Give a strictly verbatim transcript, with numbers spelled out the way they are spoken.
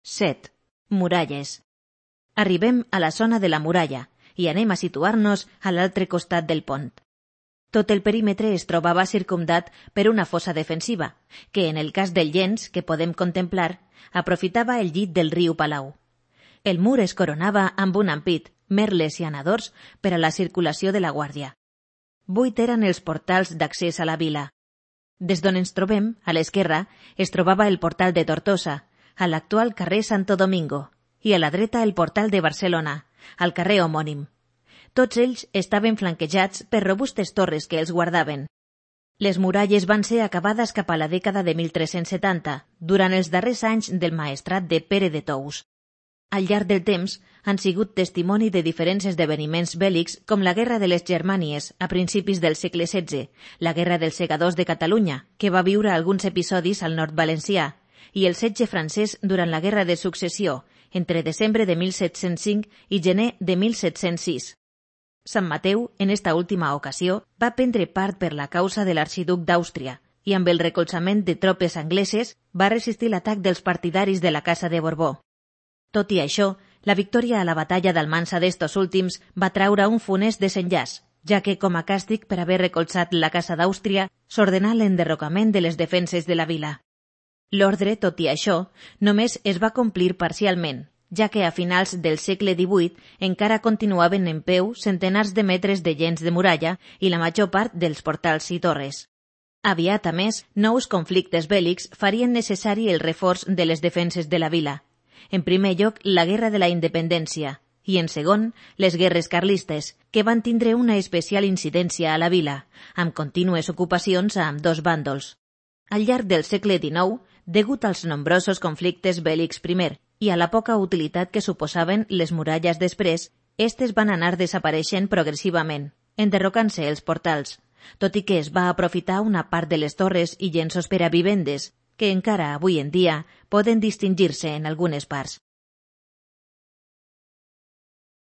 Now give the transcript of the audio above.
set. Muralles. Arribem a la zona de la muralla i anem a situar-nos a l'altre costat del pont. Tot el perímetre es trobava circumdat per una fossa defensiva, que en el cas del llenç que podem contemplar, aprofitava el llit del riu Palau. El mur es coronava amb un ampit, merles i anadors per a la circulació de la guàrdia. Vuit eren els portals d'accés a la vila. Des d'on ens trobem, a l'esquerra, es trobava el portal de Tortosa, a l'actual carrer Santo Domingo, i a la dreta el portal de Barcelona, al carrer homònim. Tots ells estaven flanquejats per robustes torres que els guardaven. Les muralles van ser acabades cap a la dècada de mil tres-cents setanta, durant els darrers anys del maestrat de Pere de Tous. Al llarg del temps han sigut testimoni de diferents esdeveniments bèl·lics com la Guerra de les Germànies a principis del segle setze, la Guerra dels Segadors de Catalunya, que va viure alguns episodis al nord valencià, i el setge francès durant la Guerra de Successió, entre desembre de mil set-cents cinc i gener de mil set-cents sis. Sant Mateu, en esta última ocasió, va prendre part per la causa de l'arxiduc d'Àustria i amb el recolzament de tropes angleses va resistir l'atac dels partidaris de la Casa de Borbó. Tot i això, la victòria a la batalla d'Almansa d'estos últims va traure un funest desenllaç, ja que, com a càstig per haver recolzat la Casa d'Àustria, s'ordenà l'enderrocament de les defenses de la vila. L'ordre, tot i això, només es va complir parcialment, ja que a finals del segle divuit encara continuaven en peu centenars de metres de llenç de muralla i la major part dels portals i torres. Aviat, a més, nous conflictes bèl·lics farien necessari el reforç de les defenses de la vila. En primer lloc, la Guerra de la Independència i, en segon, les guerres carlistes, que van tindre una especial incidència a la vila, amb contínues ocupacions a ambdós bàndols. Al llarg del segle dinou, degut als nombrosos conflictes bèl·lics primer i a la poca utilitat que suposaven les muralles després, estes van anar desapareixent progressivament, enderrocant-se els portals, tot i que es va aprofitar una part de les torres i llenços per a vivendes, que encara avui en dia poden distingir-se en algunes parts.